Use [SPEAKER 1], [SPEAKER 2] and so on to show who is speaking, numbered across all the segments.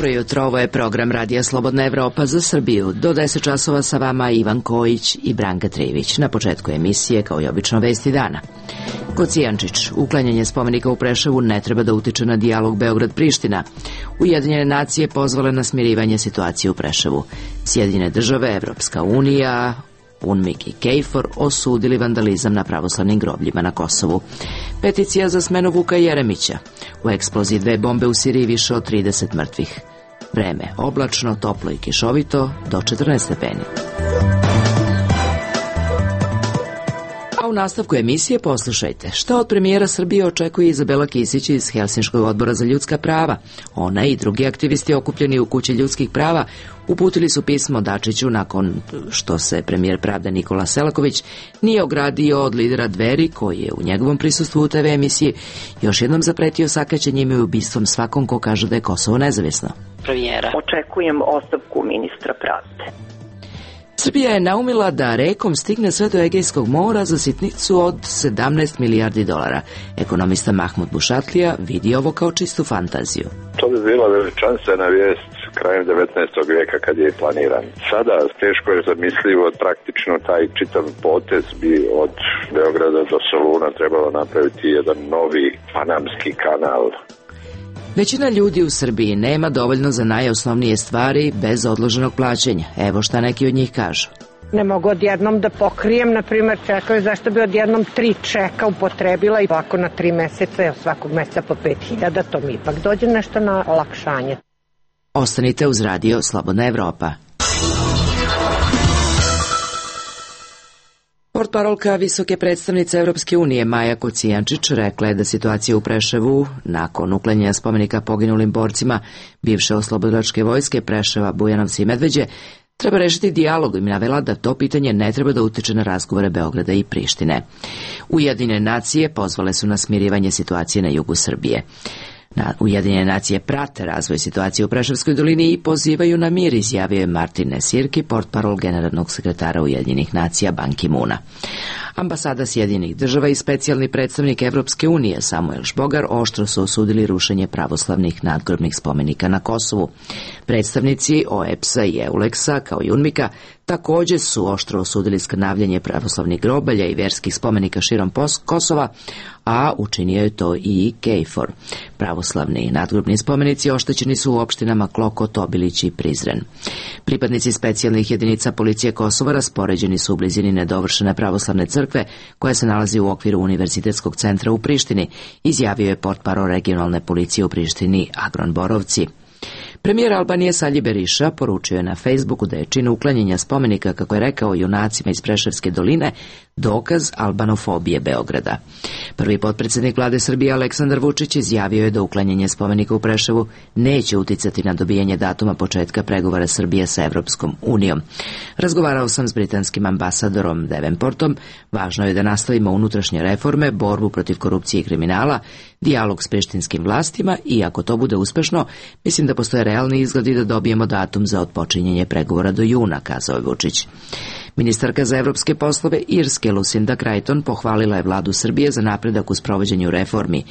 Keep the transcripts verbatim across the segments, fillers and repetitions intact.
[SPEAKER 1] Dobro jutro, ovo je program Radija Slobodna Evropa za Srbiju. Do deset časova sa vama Ivan Kojić i Branka Trivić. Na početku emisije, kao i obično, vesti dana. Kocijančić, uklanjanje spomenika u Preševu ne treba da utiče na dijalog Beograd-Priština. Ujedinjene nacije pozvale na smirivanje situacije u Preševu. Sjedinjene države, Evropska unija, UNMIK i KFOR osudili vandalizam na pravoslavnim grobljima na Kosovu. Peticija za smenu Vuka Jeremića. U eksploziji dve bombe u Siriji više od trideset mrtvih. Vreme oblačno, toplo i kišovito, do četrnaest stepeni. A u nastavku emisije poslušajte šta od premijera Srbije očekuje Izabela Kisić iz Helsinškog odbora za ljudska prava. Ona i drugi aktivisti okupljeni u Kući ljudskih prava uputili su pismo Dačiću nakon što se premijer pravde Nikola Selaković nije ogradio od lidera Dveri, koji je u njegovom prisustvu u te ve emisiji još jednom zapretio sakaćenjem i ubistvom svakom ko kaže da je Kosovo nezavisno.
[SPEAKER 2] Premijera. Očekujem ostavku ministra pravde.
[SPEAKER 1] Srbija je naumila da rekom stigne sve do Egejskog mora za sitnicu od sedamnaest milijardi dolara. Ekonomista Mahmud Bušatlija vidi ovo kao čistu fantaziju.
[SPEAKER 3] To bi bila veličanstvena vijest krajem devetnaestog vijeka kad je planiran. Sada teško je zamislivo, praktično taj čitav potez bi od Beograda do Soluna trebalo napraviti jedan novi panamski kanal.
[SPEAKER 1] Većina ljudi u Srbiji nema dovoljno za najosnovnije stvari bez odloženog plaćanja. Evo šta neki od njih kažu.
[SPEAKER 4] Ne mogu odjednom da pokrijem, na primjer čekaju zašto bi odjednom tri čeka upotrebila i ovako na tri meseca, svakog meseca po pet hiljada, to mi ipak dođe nešto na olakšanje.
[SPEAKER 1] Ostanite uz Radio Slobodna Evropa. Portparolka visoke predstavnice Evropske unije Maja Kocijančić rekla je da situacija u Preševu nakon uklanjanja spomenika poginulim borcima bivše oslobodilačke vojske Preševa, Bujanovca i Medveđe treba rešiti dijalog i navela da to pitanje ne treba da utiče na razgovore Beograda i Prištine. Ujedinjene nacije pozvale su na smirivanje situacije na jugu Srbije. Na Ujedinjene nacije prate razvoj situacije u Preševskoj dolini i pozivaju na mir, izjavio je Martin Nesirki, portparol generalnog sekretara Ujedinjenih nacija Ban Ki-moona. Ambasada Sjedinjenih država i specijalni predstavnik Evropske unije Samuel Šbogar oštro su osudili rušenje pravoslavnih nadgrobnih spomenika na Kosovu. Predstavnici O E P S-a i EULEX-a kao i UNMIK-a također su oštro osudili skrnavljanje pravoslavnih grobalja i verskih spomenika širom Kosova, a učinio je to i KFOR. Pravoslavni nadgrobni spomenici oštećeni su u opštinama Klokot, Obilić i Prizren. Pripadnici specijalnih jedinica policije Kosova raspoređeni su u blizini nedovršene pravoslavne crkve koja se nalazi u okviru Univerzitetskog centra u Prištini, izjavio je portparol regionalne policije u Prištini Agron Borovci. Premijer Albanije Salji Beriša poručio je na Facebooku da je čin uklanjanja spomenika, kako je rekao, junacima iz Preševske doline dokaz albanofobije Beograda. Prvi potpredsjednik vlade Srbije Aleksandar Vučić izjavio je da uklanjanje spomenika u Preševu neće uticati na dobijanje datuma početka pregovora Srbije sa Evropskom unijom. Razgovarao sam s britanskim ambasadorom Davenportom. Važno je da nastavimo unutrašnje reforme, borbu protiv korupcije i kriminala, dijalog s prištinskim vlastima i ako to bude uspešno, mislim da postoje realni izgledi da dobijemo datum za otpočinjenje pregovora do juna, kazao je Vučić. Ministarka za evropske poslove Irske Lucinda Creighton pohvalila je vladu Srbije za napredak u sprovođenju reformi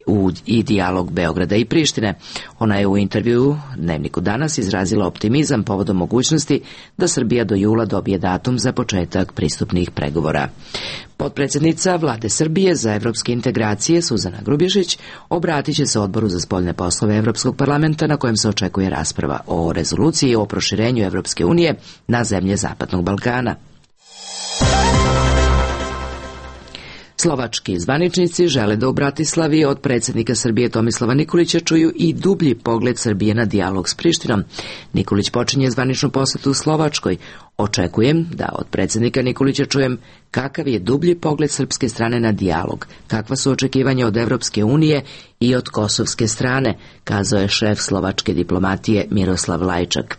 [SPEAKER 1] u i dijalog Beograda i Prištine. Ona je u intervjuu Dnevniku danas izrazila optimizam povodom mogućnosti da Srbija do jula dobije datum za početak pristupnih pregovora. Potpredsjednica vlade Srbije za evropske integracije Suzana Grubješić obratit će se Odboru za spoljne poslove Evropskog parlamenta na kojem se očekuje rasprava o rezoluciji o proširenju Evropske unije na zemlje Zapadnog Balkana. Slovački zvaničnici žele da u Bratislavi od predsjednika Srbije Tomislava Nikolića čuju i dublji pogled Srbije na dijalog s Prištinom. Nikolić počinje zvaničnu posetu u Slovačkoj. Očekujem da od predsjednika Nikolića čujem kakav je dublji pogled srpske strane na dijalog, kakva su očekivanja od Evropske unije i od kosovske strane, kazao je šef slovačke diplomatije Miroslav Lajčak.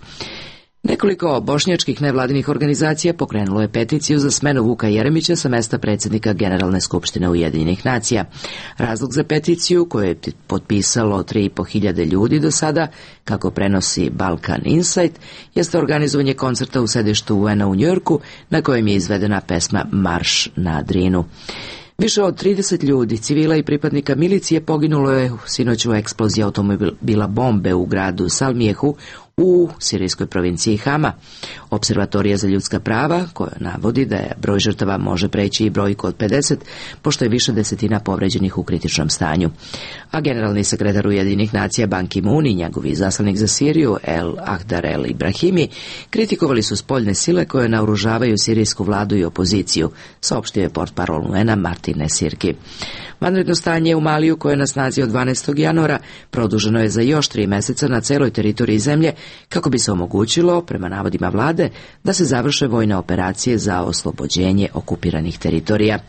[SPEAKER 1] Nekoliko bošnjačkih nevladinih organizacija pokrenulo je peticiju za smenu Vuka Jeremića sa mesta predsjednika Generalne skupštine Ujedinjenih nacija. Razlog za peticiju, koju je potpisalo tri i po hiljade ljudi do sada, kako prenosi Balkan Insight, jeste organizovanje koncerta u sedištu U N-a u Njujorku, na kojem je izvedena pesma Marš na Drinu. Više od trideset ljudi, civila i pripadnika milicije poginulo je sinoć u eksploziji automobila bombe u gradu Salmijehu u sirijskoj provinciji Hama. Observatorija za ljudska prava, koja navodi da je broj žrtava može preći i brojku od pedeset, pošto je više desetina povređenih u kritičnom stanju. A generalni sekretar Ujedinjenih nacija Ban Ki-moon i njegovi izaslanik za Siriju El Ahdar El Ibrahimi kritikovali su spoljne sile koje naoružavaju sirijsku vladu i opoziciju, saopštio je portparol U N-a Martin Esirki. Vanredno stanje u Maliju, koje je na snazi od dvanaestog januara, produženo je za još tri meseca na celoj teritoriji zemlje, kako bi se omogućilo, prema navodima vlade, da se završe vojne operacije za oslobođenje okupiranih teritorija.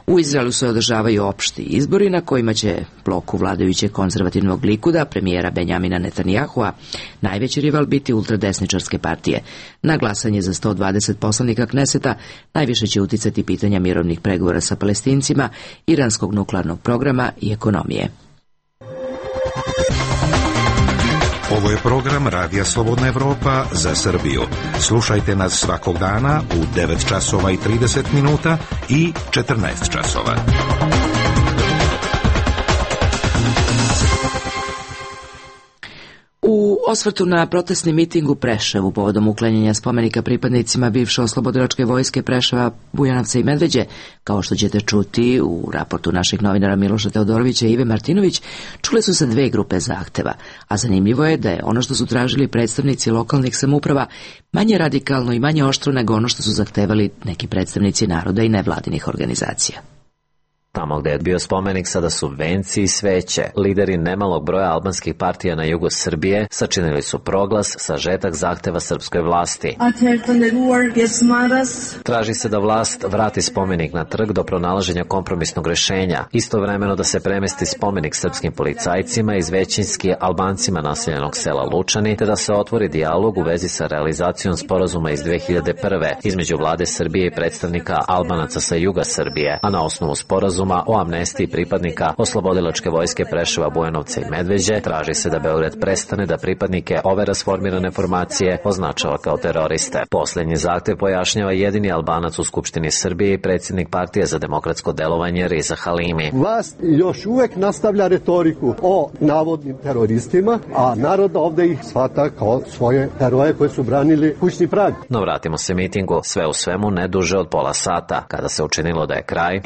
[SPEAKER 1] U Izraelu se održavaju opšti izbori na kojima će bloku vladajućeg konzervativnog Likuda, premijera Benjamina Netanyahua, najveći rival biti ultradesničarske partije. Na glasanje za sto dvadeset poslanika Kneseta najviše će uticati pitanja mirovnih pregovora sa Palestincima, iranskog nuklearnog programa i ekonomije.
[SPEAKER 5] Ovo je program Radija Slobodna Evropa za Srbiju. Slušajte nas svakog dana u devet časova i trideset minuta i četrnaest časova.
[SPEAKER 1] U osvrtu na protestni miting u Preševu povodom uklanjanja spomenika pripadnicima bivše oslobodilačke vojske Preševa, Bujanovca i Medveđe, kao što ćete čuti u raportu naših novinara Miloša Teodorovića i Ive Martinović, čule su se dve grupe zahteva, a zanimljivo je da je ono što su tražili predstavnici lokalnih samouprava manje radikalno i manje oštro nego ono što su zahtevali neki predstavnici naroda i nevladinih organizacija.
[SPEAKER 6] Tamo gde je bio spomenik sada su venci i sveće. Lideri nemalog broja albanskih partija na jugu Srbije sačinili su proglas, sažetak zahteva srpskoj vlasti. Traži se da vlast vrati spomenik na trg do pronalaženja kompromisnog rešenja, istovremeno da se premesti spomenik srpskim policajcima iz većinski Albancima naseljenog sela Lučani, te da se otvori dijalog u vezi sa realizacijom sporazuma iz dve hiljade prve između vlade Srbije i predstavnika Albanaca sa juga Srbije, a na osnovu sporazuma o amnestiji pripadnika oslobodilačke vojske Preševa, Bujanovca i Medveđe traži se da Beograd prestane da pripadnike ove rasformirane formacije označava kao teroriste. Poslednji zahtev pojašnjava jedini Albanac u Skupštini Srbije i predsjednik Partije za demokratsko delovanje Riza Halimi.
[SPEAKER 7] Vlast još uvek nastavlja retoriku o navodnim teroristima, a narod ovde ih shvata kao svoje heroje koje su branili kućni prag.
[SPEAKER 6] No vratimo se mitingu, sve u svemu ne duže od pola sata, kada se učinilo da je kraj.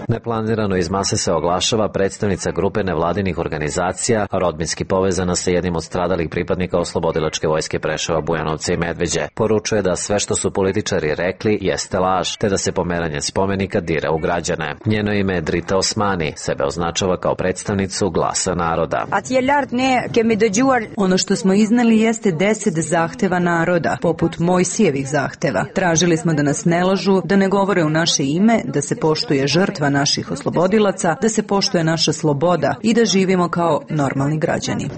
[SPEAKER 6] Neplanirano iz mase se oglašava predstavnica grupe nevladinih organizacija, rodbinski povezana sa jednim od stradalih pripadnika oslobodilačke vojske Preševa, Bujanovca i Medveđe. Poručuje da sve što su političari rekli jeste laž, te da se pomeranje spomenika dira u građane. Njeno ime je Drita Osmani, sebe označava kao predstavnicu Glasa naroda.
[SPEAKER 8] Ono što smo iznali jeste deset zahteva naroda, poput Mojsijevih zahteva. Tražili smo da nas ne lažu, da ne govore u naše ime, da se poštuje žrtva naših oslobodilaca, da se poštuje naša sloboda i da živimo kao normalni građani.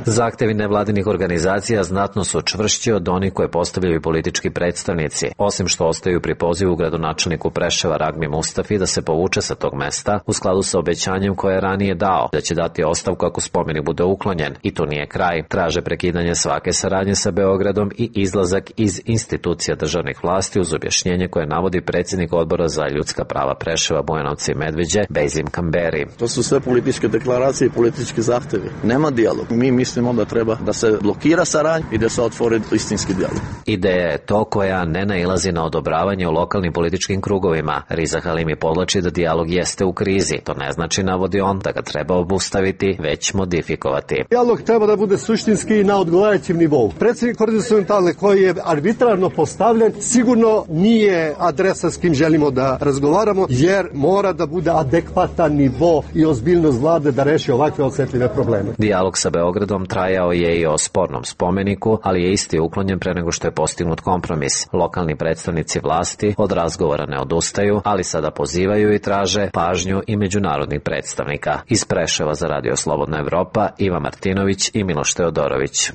[SPEAKER 6] Zahtevi nevladinih organizacija znatno su čvršći od onih koje postavljaju politički predstavnici, osim što ostaju pri pozivu gradonačelniku Preševa Ragmi Mustafi da se povuče sa tog mesta u skladu sa obećanjem koje je ranije dao, da će dati ostavku ako spomenik bude uklonjen. I to nije kraj. Traže prekidanje svake saradnje sa Beogradom i izlazak iz institucija državnih vlasti uz objašnjenje koje navodi predsjednik odbora za ljudska prava Preševa, Bujanovca i Medveđe, Bejzim Kamberi.
[SPEAKER 9] To su sve političke deklaracije i politički zahtevi. Nema dijalog. Mi mislimo da treba da se blokira saradnja i da se otvori istinski dijalog.
[SPEAKER 6] Ideja je to koja ne nailazi na odobravanje u lokalnim političkim krugovima. Riza Halimi podlači da dijalog jeste u krizi. To ne znači, navodi on, da ga treba obustaviti, već modifikovati.
[SPEAKER 7] Dijalog treba da bude suštinski i na odgovarajućem nivou. Predsjednik horizontalne koji je arbitrarno postavljen sigurno nije adresa s kim želimo da razgovaramo, jer mora da bude adekvatan nivo i ozbiljnost vlade da reši ovakve osetljive probleme.
[SPEAKER 6] Dijalog sa Beogradom trajao je i o spornom spomeniku, ali je isti uklonjen pre nego što je postignut kompromis. Lokalni predstavnici vlasti od razgovora ne odustaju, ali sada pozivaju i traže pažnju i međunarodnih predstavnika. Iz Preševa za Radio Slobodna Evropa, Iva Martinović i Miloš Teodorović.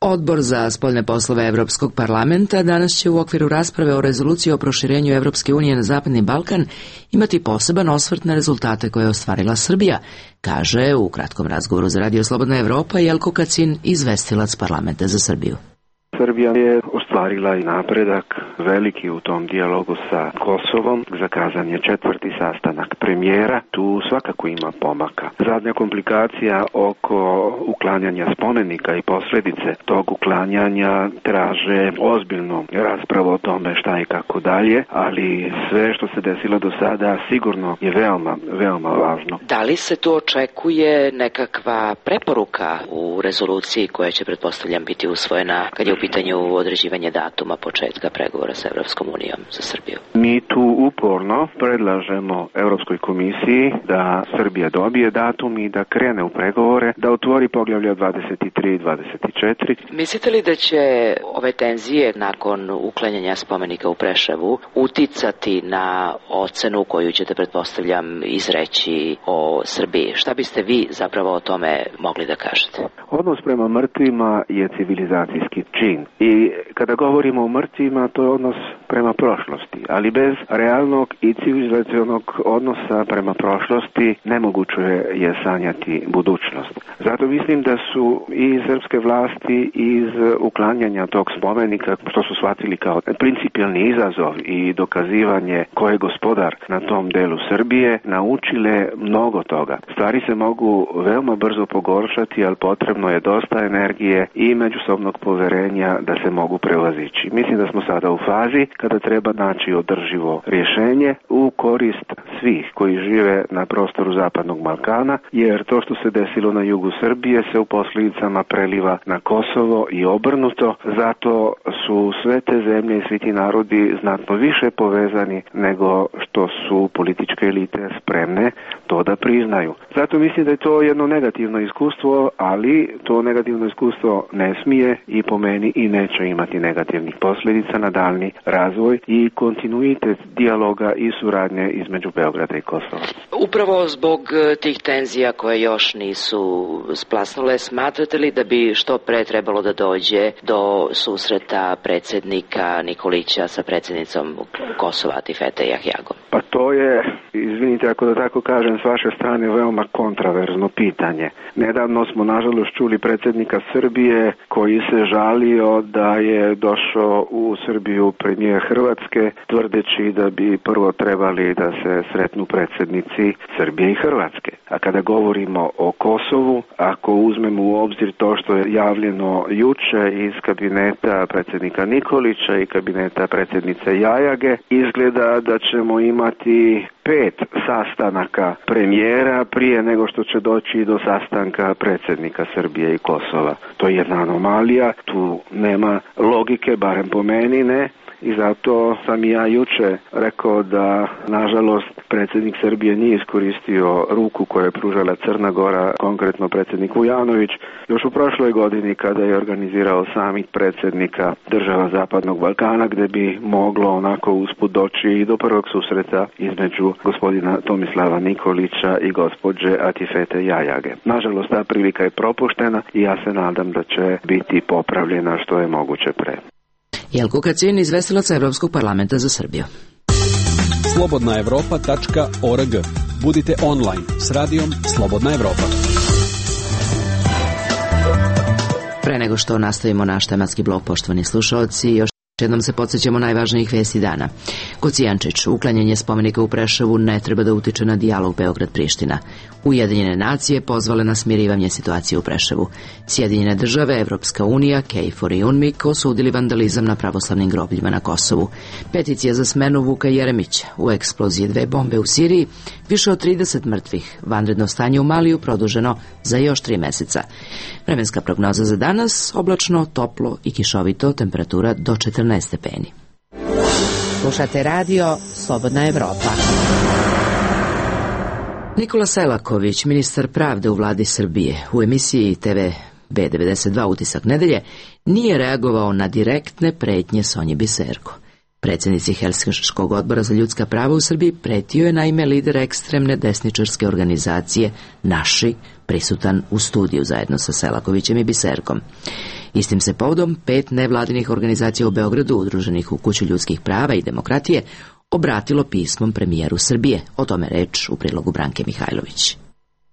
[SPEAKER 1] Odbor za spoljne poslove Evropskog parlamenta danas će u okviru rasprave o rezoluciji o proširenju Evropske unije na Zapadni Balkan imati poseban osvrt na rezultate koje je ostvarila Srbija, kaže u kratkom razgovoru za Radio Slobodna Evropa Jelko Kacin, izvestilac parlamenta za Srbiju.
[SPEAKER 10] Srbija je ostvarila i napredak veliki u tom dijalogu sa Kosovom. Zakazan je četvrti sastanak premijera. Tu svakako ima pomaka. Zadnja komplikacija oko uklanjanja spomenika i posljedice tog uklanjanja traže ozbiljnu raspravu o tome šta i kako dalje, ali sve što se desilo do sada sigurno je veoma, veoma važno.
[SPEAKER 1] Da li se tu očekuje nekakva preporuka u rezoluciji koja će, pretpostavljam, biti usvojena kad je u pitanju određivanje datuma početka pregovora sa Evropskom unijom za Srbiju?
[SPEAKER 10] Mi tu uporno predlažemo Europskoj komisiji da Srbija dobije datum i da krene u pregovore, da otvori poglavlja dvadeset tri i dvadeset četiri.
[SPEAKER 1] Mislite li da će ove tenzije nakon uklanjanja spomenika u Preševu uticati na ocenu koju ćete, pretpostavljam, izreći o Srbiji? Šta biste vi zapravo o tome mogli da kažete?
[SPEAKER 10] Odnos prema mrtvima je civilizacijski čin i kada govorimo o mrtvima, to je odnos prema prošlosti, ali bez realnog i civilizacionog odnosa prema prošlosti nemoguće je sanjati budućnost. Zato mislim da su i srpske vlasti iz uklanjanja tog spomenika, što su shvatili kao principijelni izazov i dokazivanje ko je gospodar na tom delu Srbije, naučile mnogo toga. Stvari se mogu veoma brzo pogoršati, ali potrebno je dosta energije i međusobnog poverenja da se mogu prevazići. Mislim da smo sada u fazi kada treba naći održivo rješenje u korist svih koji žive na prostoru Zapadnog Balkana, jer to što se desilo na jugu Srbije se u posljedicama preliva na Kosovo i obrnuto, zato su sve te zemlje i svi ti narodi znatno više povezani nego što su političke elite spremne to da priznaju. Zato mislim da je to jedno negativno iskustvo, ali to negativno iskustvo ne smije i po meni i neće imati negativnih posljedica na daljni razvoj i kontinuitet dijaloga i suradnje između Beograda i Kosova.
[SPEAKER 1] Upravo zbog tih tenzija koje još nisu splasnule, smatrate li da bi što pre trebalo da dođe do susreta predsjednika Nikolića sa predsjednicom Kosova Atifete Jahjagom?
[SPEAKER 10] Pa to je, izvinite ako da tako kažem, s vaše strane veoma kontraverzno pitanje. Nedavno smo nažalost čuli predsjednika Srbije koji se žalio da je došao u Srbiju premijer Hrvatske tvrdeći da bi prvo trebali da se sretnu predsjednici Srbije i Hrvatske. A kada govorimo o Kosovu, ako uzmemo u obzir to što je javljeno juče iz kabineta predsjednika Nikolića i kabineta predsjednice Jajage, izgleda da ćemo imati pet sastanaka premijera prije nego što će doći do sastanka predsjednika Srbije i Kosova. To je jedna anomalija, tu nema logike, barem po meni ne. I zato sam i ja juče rekao da, nažalost, predsjednik Srbije nije iskoristio ruku koju je pružala Crna Gora, konkretno predsjednik Vujanović, još u prošloj godini kada je organizirao samit predsjednika država Zapadnog Balkana, gdje bi moglo onako usput doći i do prvog susreta između gospodina Tomislava Nikolića i gospođe Atifete Jajage. Nažalost, ta prilika je propuštena i ja se nadam da će biti popravljena što je moguće pre.
[SPEAKER 1] Jelko Kacin, izvestilac Evropskog parlamenta za Srbiju.
[SPEAKER 11] slobodna evropa tačka org. Budite online s radijom Slobodna Evropa.
[SPEAKER 1] Pre nego što nastavimo naš tematski blok, poštovani slušalci, još jednom se podsjećamo najvažnijih vesti dana. Kocijančić, uklanjanje spomenika u Preševu ne treba da utiče na dijalog Beograd-Priština. Ujedinjene nacije pozvale na smirivanje situacije u Preševu. Sjedinjene države, Evropska unija, KFOR i UNMIK osudili vandalizam na pravoslavnim grobljima na Kosovu. Peticija za smenu Vuka Jeremića. U eksploziji dve bombe u Siriji, više od trideset mrtvih. Vanredno stanje u Maliju produženo za još tri meseca. Vremenska prognoza za danas, oblačno, toplo i kišovito, temperatura do četrnaest stepeni.
[SPEAKER 12] Slušate radio Slobodna Evropa.
[SPEAKER 1] Nikola Selaković, ministar pravde u vladi Srbije, u emisiji T V B devedeset dva Utisak nedelje, nije reagovao na direktne pretnje Sonji Biserko. Predsjednici Helsinškog odbora za ljudska prava u Srbiji pretio je naime lider ekstremne desničarske organizacije Naši, prisutan u studiju zajedno sa Selakovićem i Biserkom. Istim se povodom pet nevladinih organizacija u Beogradu, udruženih u Kuću ljudskih prava i demokratije, obratilo pismom premijeru Srbije. O tome reč u prilogu Branke Mihajlović.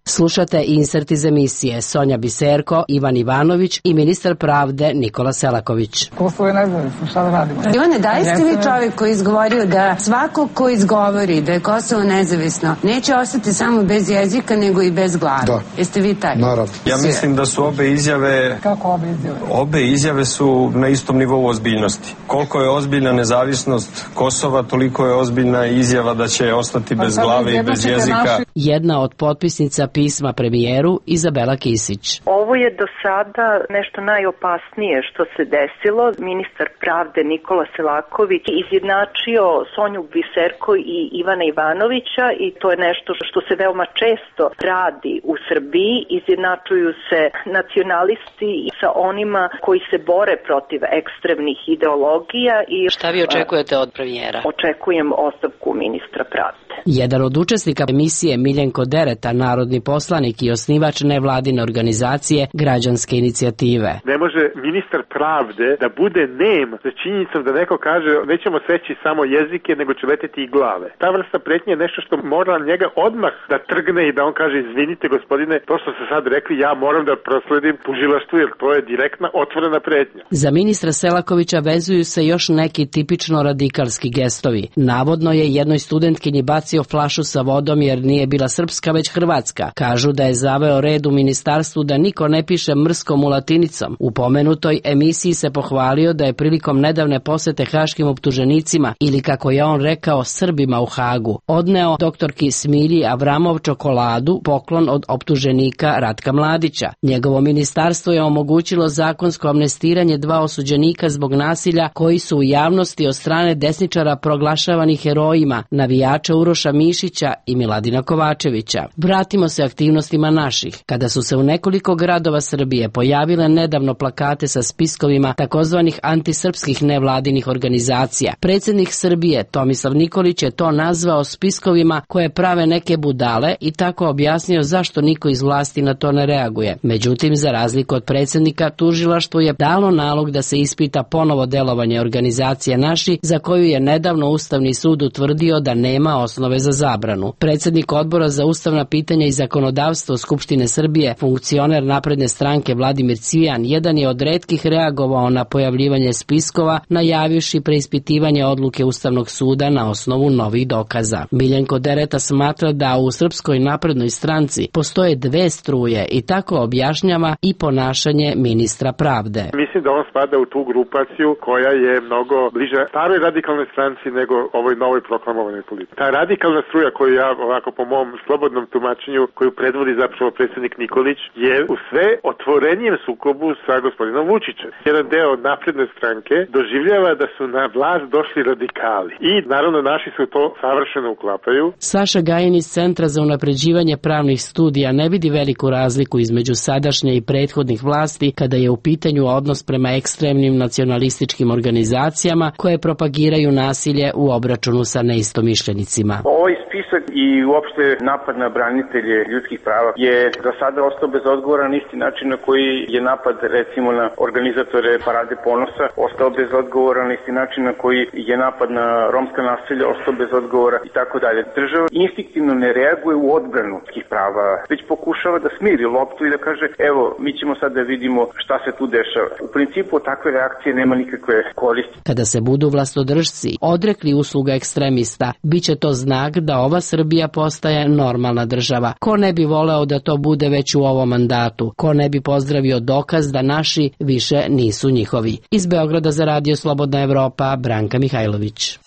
[SPEAKER 13] Slušate insert iz emisije Sonja Biserko, Ivan Ivanović i ministar pravde Nikola Selaković.
[SPEAKER 14] Kosovo je nezavisno, šta da radimo?
[SPEAKER 15] Ivane, da li ste vi čovjek koji izgovorio da svako ko izgovori da je Kosovo nezavisno neće ostati samo bez jezika nego i bez glave?
[SPEAKER 14] Da.
[SPEAKER 15] Jeste vi taj?
[SPEAKER 14] Naravno.
[SPEAKER 16] Ja mislim da su obe izjave...
[SPEAKER 14] Kako obe izjave?
[SPEAKER 16] Obe izjave su na istom nivou ozbiljnosti. Koliko je ozbiljna nezavisnost Kosova, toliko je ozbiljna izjava da će ostati bez glave i bez jezika.
[SPEAKER 13] Jedna od potpisnica pisma premijeru Izabela Kisić.
[SPEAKER 2] Ovo je do sada nešto najopasnije što se desilo. Ministar pravde Nikola Selaković izjednačio Sonju Biserko i Ivana Ivanovića i to je nešto što se veoma često radi u Srbiji. Izjednačuju se nacionalisti sa onima koji se bore protiv ekstremnih ideologija. I
[SPEAKER 13] šta vi očekujete od premijera?
[SPEAKER 2] Očekujem ostavku ministra pravde.
[SPEAKER 13] Jedan od učesnika emisije Miljenko Dereta, narodni poslanik i osnivač nevladine organizacije Građanske inicijative.
[SPEAKER 17] Ne može ministar pravde da bude nem za činjenicom da neko kaže nećemo seći samo jezike nego će leteti i glave. Ta vrsta pretnje je nešto što mora njega odmah da trgne i da on kaže izvinite gospodine, to što ste sad rekli ja moram da prosledim tužilaštvu jer to je direktna otvorena pretnja.
[SPEAKER 13] Za ministra Selakovića vezuju se još neki tipično radikalski gestovi. Navodno je jednoj studentkinji bacio flašu sa vodom jer nije bila srpska već hrvatska. Kažu da je zaveo red u ministarstvu da niko ne piše mrskom u latinicom. U pomenutoj emisiji se pohvalio da je prilikom nedavne posete haškim optuženicima ili kako je on rekao Srbima u Hagu odneo doktorki Smilji Avramov čokoladu, poklon od optuženika Ratka Mladića. Njegovo ministarstvo je omogućilo zakonsko amnestiranje dva osuđenika zbog nasilja koji su u javnosti od strane desničara proglašavani herojima, navijača Uroša Mišića i Miladina Kovačevića. Vratimo se aktivnostima naših. Kada su se u nekoliko gradova Srbije pojavile nedavno plakate sa spiskovima takozvanih antisrpskih nevladinih organizacija, predsjednik Srbije Tomislav Nikolić je to nazvao spiskovima koje prave neke budale i tako objasnio zašto niko iz vlasti na to ne reaguje. Međutim, za razliku od predsjednika, tužilaštvo je dalo nalog da se ispita ponovo delovanje organizacije Naši, za koju je nedavno Ustavni sud utvrdio da nema osnove za zabranu. Predsjednik Odbora za ustavna pitanja i zakonodavstvo Skupštine Srbije, funkcioner napredne stranke Vladimir Cvijan, jedan je od retkih reagovao na pojavljivanje spiskova, najavivši preispitivanje odluke Ustavnog suda na osnovu novih dokaza. Miljenko Dereta smatra da u Srpskoj naprednoj stranci postoje dve struje i tako objašnjava i ponašanje ministra pravde.
[SPEAKER 17] Mislim da on spada u tu grupaciju koja je mnogo bliže staroj radikalnoj stranci nego ovoj novoj proklamovanoj politici. Ta radikalna struja koju ja ovako po mom slobodnom tumačenju koju predvodi zapravo predsjednik Nikolić je u sve otvorenijem sukobu sa gospodinom Vučićem. Jedan deo napredne stranke doživljava da su na vlast došli radikali i naravno naši su to savršeno uklapaju.
[SPEAKER 13] Saša Gajin iz Centra za unapređivanje pravnih studija ne vidi veliku razliku između sadašnje i prethodnih vlasti kada je u pitanju odnos prema ekstremnim nacionalističkim organizacijama koje propagiraju nasilje u obračunu sa neistomišljenicima.
[SPEAKER 18] Ovaj spisak i uopšte napad na branitelje ljudskih prava je za sada ostao bez odgovora na isti način na koji je napad recimo na organizatore Parade ponosa ostao bez odgovora, na isti način na koji je napad na romska naselja ostao bez odgovora i tako dalje. Država instinktivno ne reaguje u odbranu ljudskih prava, već pokušava da smiri loptu i da kaže evo mi ćemo sad da vidimo šta se tu dešava. U principu takve reakcije nema nikakve koristi.
[SPEAKER 13] Kada se budu vlastodržci odrekli usluga ekstremista, bit će to znak da ova Srbija postaje normalna država. Ko ne bi voleo da to bude već u ovom mandatu? Ko ne bi pozdravio dokaz da naši više nisu njihovi? Iz Beograda za Radio Slobodna Evropa, Branka Mihajlović.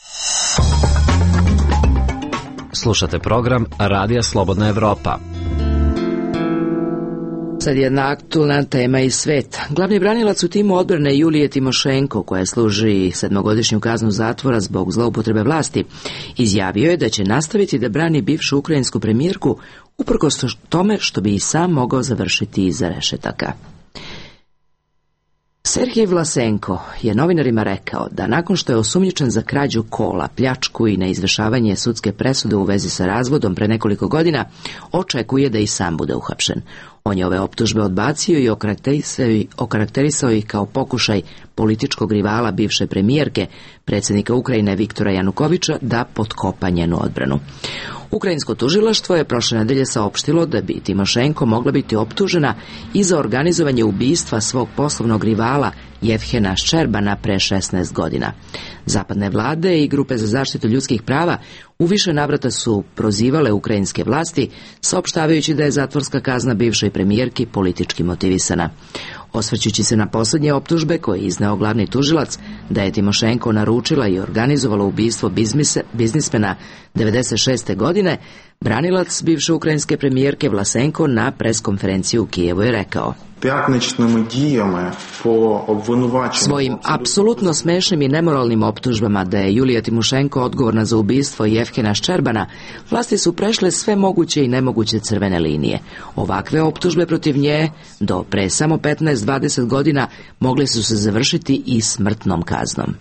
[SPEAKER 6] Slušate program Radija Slobodna Evropa.
[SPEAKER 1] Sad jedna aktualna tema iz sveta. Glavni branilac u timu odbrane Julije Timošenko, koja služi sedmogodišnju kaznu zatvora zbog zloupotrebe vlasti, izjavio je da će nastaviti da brani bivšu ukrajinsku premijerku uprkos tome što bi i sam mogao završiti iza rešetaka. Sergej Vlasenko je novinarima rekao da nakon što je osumnjičen za krađu kola, pljačku i neizvršavanje sudske presude u vezi sa razvodom pre nekoliko godina, očekuje da i sam bude uhapšen. On je ove optužbe odbacio i okarakterisao ih kao pokušaj političkog rivala bivše premijerke, predsjednika Ukrajine Viktora Janukoviča, da potkopa njenu odbranu. Ukrajinsko tužilaštvo je prošle nedelje saopštilo da bi Timošenko mogla biti optužena i za organizovanje ubistva svog poslovnog rivala Jevhena Ščerbana pre šesnaest godina. Zapadne vlade i grupe za zaštitu ljudskih prava u više navrata su prozivale ukrajinske vlasti, saopštavajući da je zatvorska kazna bivšoj premijerki politički motivisana. Osvrćući se na posljednje optužbe koje je izneo glavni tužilac da je Timošenko naručila i organizovala ubistvo bizmise, biznismena devedeset šeste godine, branilac bivše ukrajinske premijerke Vlasenko na preskonferenciji u Kijevu je rekao: svojim apsolutno smešnim i nemoralnim optužbama da je Julija Timošenko odgovorna za ubistvo Jevhena Ščerbana, vlasti su prešle sve moguće i nemoguće crvene linije. Ovakve optužbe protiv nje do pre samo petnaest do dvadeset godina mogle su se završiti i smrtnom kaznom.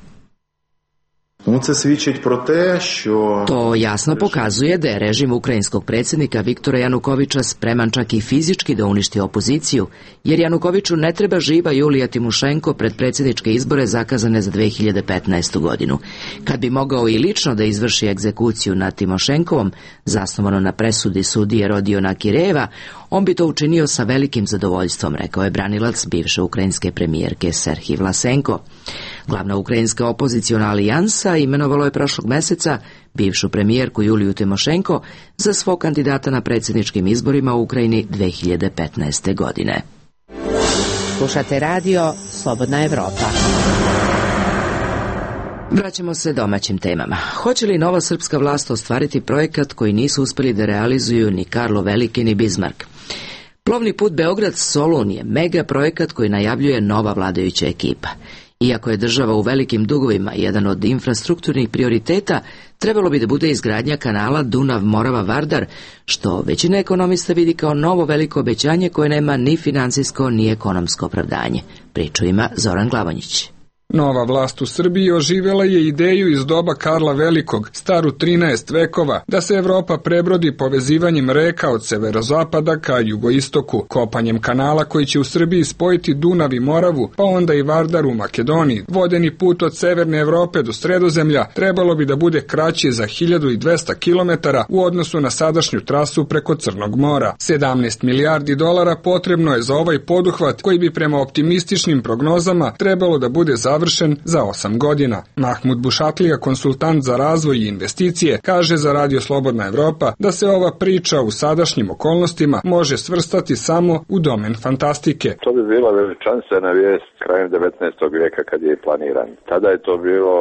[SPEAKER 1] To jasno pokazuje da je režim ukrajinskog predsjednika Viktora Janukoviča spreman čak i fizički da uništi opoziciju, jer Janukoviču ne treba živa Julija Timošenko pred predsjedničke izbore zakazane za dve hiljade petnaestu godinu. Kad bi mogao i lično da izvrši egzekuciju nad Timošenkovom, zasnovano na presudi sudije Rodiona Kirejeva, on bi to učinio sa velikim zadovoljstvom, rekao je branilac bivše ukrajinske premijerke Serhij Vlasenko. Glavna ukrajinska opoziciona alijansa imenovalo je prošlog meseca bivšu premijerku Juliju Timošenko za svog kandidata na predsjedničkim izborima u Ukrajini dve hiljade petnaeste. godine.
[SPEAKER 12] Slušate radio Slobodna Evropa.
[SPEAKER 1] Vraćamo se domaćim temama. Hoće li nova srpska vlast ostvariti projekat koji nisu uspjeli da realizuju ni Karlo Veliki ni Bizmark? Plovni put Beograd-Solun je mega projekat koji najavljuje nova vladajuća ekipa. Iako je država u velikim dugovima jedan od infrastrukturnih prioriteta, trebalo bi da bude izgradnja kanala Dunav-Morava-Vardar, što većina ekonomista vidi kao novo veliko obećanje koje nema ni financijsko ni ekonomsko opravdanje. Priču ima Zoran Glavonjić.
[SPEAKER 19] Nova vlast u Srbiji oživjela je ideju iz doba Karla Velikog, staru trinaest vekova, da se Evropa prebrodi povezivanjem reka od severozapada ka jugoistoku, kopanjem kanala koji će u Srbiji spojiti Dunav i Moravu, pa onda i Vardar u Makedoniji. Vodeni put od severne Evrope do Sredozemlja trebalo bi da bude kraći za hiljadu dvesta kilometara u odnosu na sadašnju trasu preko Crnog mora. sedamnaest milijardi dolara potrebno je za ovaj poduhvat koji bi prema optimističnim prognozama trebalo da bude završen za osam godina. Mahmud Bušatlija, konsultant za razvoj i investicije, kaže za Radio Slobodna Evropa da se ova priča u sadašnjim okolnostima može svrstati samo u domen fantastike.
[SPEAKER 3] To bi bila veličanstvena vijest krajem devetnaestog vijeka kad je planiran. Tada je to bilo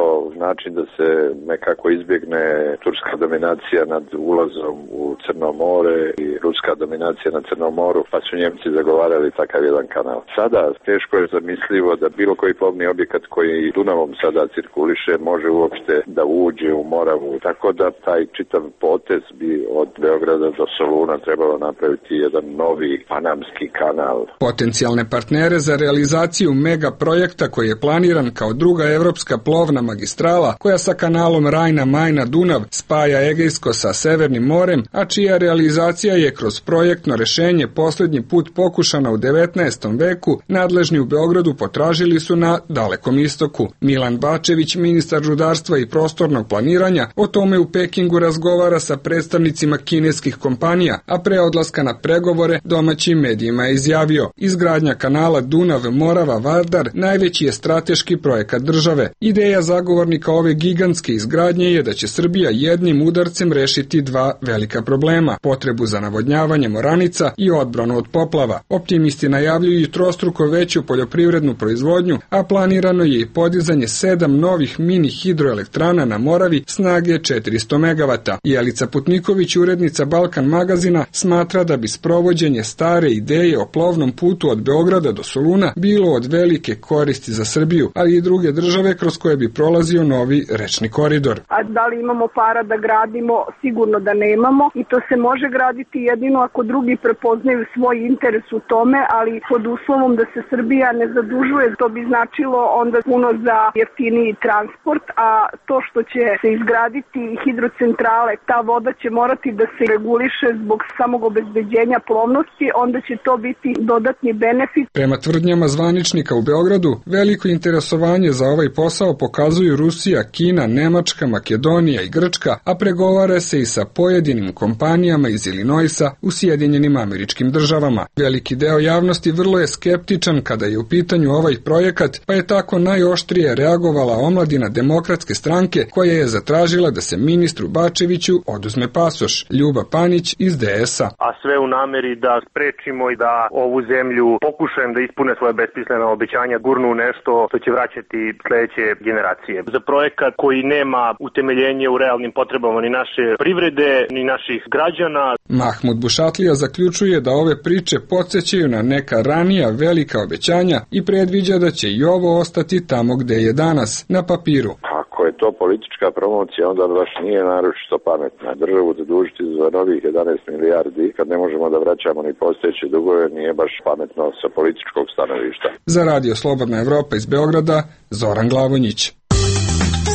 [SPEAKER 3] način da se nekako izbjegne turska dominacija nad ulazom u Crno more i ruska dominacija na Crnom moru, pa su Njemci zagovarali takav jedan kanal. Sada teško je zamislivo da bilo koji plovni objekat koji Dunavom sada cirkuliše može uopšte da uđe u Moravu, tako da taj čitav potez bi od Beograda do Soluna trebalo napraviti jedan novi panamski kanal.
[SPEAKER 19] Potencijalne partnere za realizaciju mega projekta koji je planiran kao druga evropska plovna magistrala koja sa kanalom Rajna-Majna-Dunav spaja Egejsko sa Severnim morem, a čija realizacija je kroz projektno rešenje posljednji put pokušana u devetnaestom veku, nadležni u Beogradu potražili su na Dalekom istoku. Milan Bačević, ministar rudarstva i prostornog planiranja, o tome u Pekingu razgovara sa predstavnicima kineskih kompanija, a pre odlaska na pregovore domaćim medijima je izjavio: izgradnja kanala Dunav-Morava-Vardar najveći je strateški projekat države. Ideja zagovornika ove gigantske izgradnje je da će Srbija jednim udarcem rešiti dva velika problema: potrebu za navodnjavanjem oranica i odbranu od poplava. Optimisti najavljuju trostruko veću poljoprivrednu proizvodnju, a planirano je i podizanje sedam novih mini hidroelektrana na Moravi snage četiristo megavata. Jelica Putniković, urednica Balkan magazina, smatra da bi sprovođenje stare ideje o plovnom putu od Beograda do Soluna bilo od velike koristi za Srbiju, ali i druge države kroz koje bi prolazio novi rečni koridor.
[SPEAKER 20] A da li imamo para da gradimo? Sigurno da nemamo i to se može graditi jedino ako drugi prepoznaju svoj interes u tome, ali pod uslovom da se Srbija ne zadužuje. To bi značilo onda onda puno za jeftiniji transport, a to što će se izgraditi hidrocentrale, ta voda će morati da se reguliše zbog samog obezbeđenja plovnosti, onda će to biti dodatni benefit.
[SPEAKER 19] Prema tvrdnjama zvaničnika u Beogradu, veliko interesovanje za ovaj posao pokazuju Rusija, Kina, Nemačka, Makedonija i Grčka, a pregovara se i sa pojedinim kompanijama iz Illinoisa u Sjedinjenim Američkim Državama. Veliki deo javnosti vrlo je skeptičan kada je u pitanju ovaj projekat, pa je tako najoštrije reagovala omladina Demokratske stranke koja je zatražila da se ministru Bačeviću oduzme pasoš. Ljuba Panić iz D S A.
[SPEAKER 21] A sve u nameri da sprečimo i da ovu zemlju pokušajem da ispune svoje besmislena obećanja, gurnu nešto što će vraćati sledeće generacije. Za projekat koji nema utemeljenje u realnim potrebama ni naše privrede, ni naših građana.
[SPEAKER 19] Mahmud Bušatlija zaključuje da ove priče podsjećaju na neka ranija velika obećanja i predviđa da će i ovo ostati tamo gde je danas, na papiru.
[SPEAKER 3] Ako je to politička promocija, onda baš nije naročito pametna. Državu zadužiti za novih jedanaest milijardi, kad ne možemo da vraćamo ni postojeće dugove, nije baš pametno sa političkog stanovišta.
[SPEAKER 19] Za Radio Slobodna Evropa iz Beograda, Zoran Glavonjić.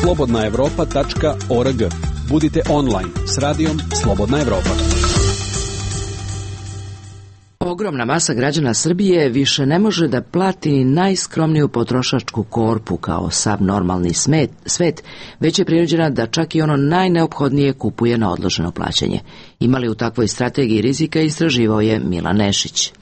[SPEAKER 11] slobodna evropa tačka org. Budite online s radijom Slobodna Evropa.
[SPEAKER 1] Ogromna masa građana Srbije više ne može da plati ni najskromniju potrošačku korpu kao sav normalni smet, svet, već je prinuđena da čak i ono najneophodnije kupuje na odloženo plaćanje. Imali u takvoj strategiji rizika istraživao je Milan Nešić.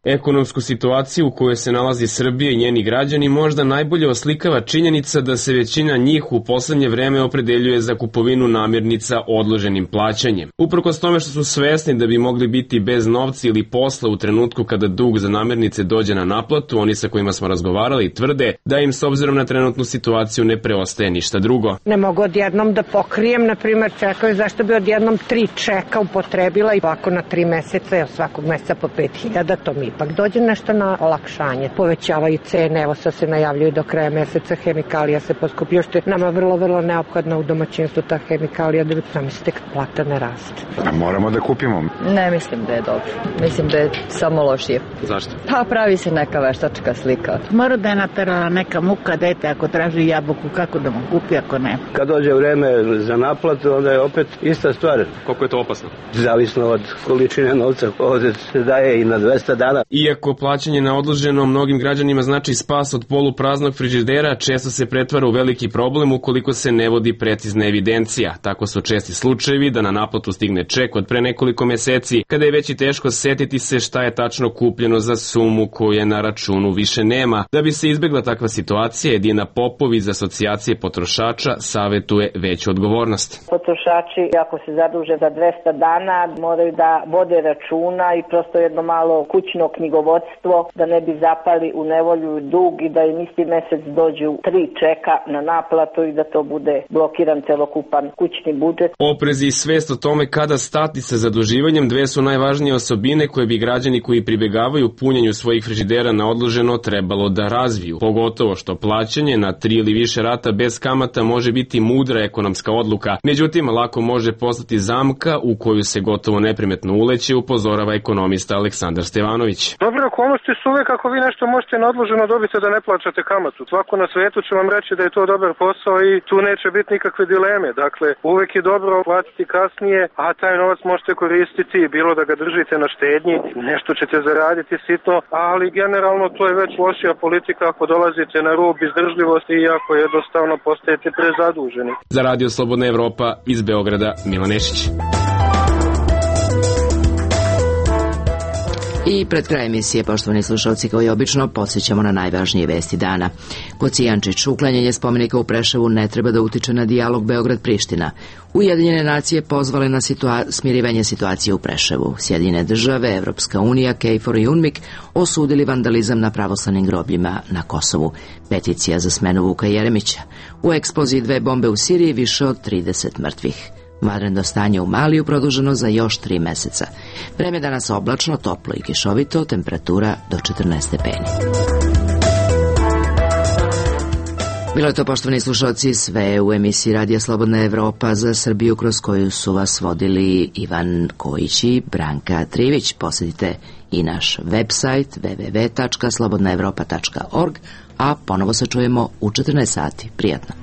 [SPEAKER 22] Ekonomsku situaciju u kojoj se nalazi Srbija i njeni građani možda najbolje oslikava činjenica da se većina njih u poslednje vreme opredeljuje za kupovinu namirnica odloženim plaćanjem. Uprkos tome što su svesni da bi mogli biti bez novca ili posla u trenutku kada dug za namirnice dođe na naplatu, oni sa kojima smo razgovarali tvrde da im s obzirom na trenutnu situaciju ne preostaje ništa drugo.
[SPEAKER 4] Ne mogu odjednom da pokrijem, na primjer, čekaju zašto bi odjednom tri čeka upotrebila i ovako na tri meseca, svakog meseca po pet hiljada, to mi ipak dođe nešto na olakšanje. Povećavaju cene, evo sad se najavljuju do kraja meseca, hemikalija se poskupio, što je nama vrlo, vrlo neophodna u domaćinstvu ta hemikalija, da bi zamislite kad plata ne raste.
[SPEAKER 23] A moramo da kupimo?
[SPEAKER 24] Ne mislim da je dobro. Mislim da je samo lošije.
[SPEAKER 22] Zašto?
[SPEAKER 24] Pa pravi se neka veštačka slika.
[SPEAKER 25] Mora da je naterala neka muka dete ako traži jabuku, kako da mu kupi ako ne.
[SPEAKER 26] Kad dođe vreme za naplatu, onda je opet ista stvar.
[SPEAKER 22] Koliko je to opasno?
[SPEAKER 26] Zavisno od količine novca, ovdje se daje i na dvesta dana.
[SPEAKER 22] Iako plaćanje na odloženo mnogim građanima znači spas od polupraznog frižidera, često se pretvara u veliki problem ukoliko se ne vodi precizna evidencija. Tako su česti slučajevi da na naplatu stigne ček od pre nekoliko meseci, kada je već i teško setiti se šta je tačno kupljeno za sumu koje na računu više nema. Da bi se izbegla takva situacija, Edina Popov iz Asocijacije potrošača savetuje veću odgovornost.
[SPEAKER 27] Potrošači, ako se zaduže za dvesta dana, moraju da vode računa i prosto jedno malo kućno knjigovodstvo, da ne bi zapali u nevolju i dug i da im isti mesec dođu tri čeka na naplatu i da to bude blokiran celokupan kućni budžet.
[SPEAKER 22] Oprez i svest o tome kada stati sa zaduživanjem dve su najvažnije osobine koje bi građani koji pribegavaju punjenju svojih frižidera na odloženo trebalo da razviju. Pogotovo što plaćanje na tri ili više rata bez kamata može biti mudra ekonomska odluka. Međutim, lako može postati zamka u koju se gotovo neprimetno uleće, upozorava ekonomista Aleksandar Stevanović.
[SPEAKER 17] Dobre okolnosti su uvek ako vi nešto možete na odloženo dobiti da ne plaćate kamatu. Svako na svetu će vam reći da je to dobar posao i tu neće biti nikakve dileme. Dakle, uvek je dobro platiti kasnije, a taj novac možete koristiti, bilo da ga držite na štednji, nešto ćete zaraditi sitno, ali generalno to je već lošija politika ako dolazite na rub izdržljivosti i ako jednostavno postajete prezaduženi.
[SPEAKER 22] Za Radio Slobodna Evropa iz Beograda, Milan Nešić.
[SPEAKER 1] I pred kraj emisije, poštovani slušalci, kao i obično, podsjećamo na najvažnije vesti dana. Kocijančić, uklanjanje spomenika u Preševu ne treba da utiče na dijalog Beograd-Priština. Ujedinjene nacije pozvale na situa smirivanje situacije u Preševu. Sjedinjene države, Evropska unija, KFOR i UNMIK osudili vandalizam na pravoslavnim grobljima na Kosovu. Peticija za smenu Vuka Jeremića. U eksploziji dve bombe u Siriji više od trideset mrtvih. Vanredno stanje u Maliju produženo za još tri meseca. Vreme danas oblačno, toplo i kišovito, temperatura do četrnaest stepeni. Bilo je to, poštovani slušalci, sve u emisiji Radija Slobodna Evropa za Srbiju, kroz koju su vas vodili Ivan Kojić i Branka Trivić. Posjetite i naš website w w w tačka slobodna evropa tačka org, a ponovo se čujemo u četrnaest sati. Prijatno.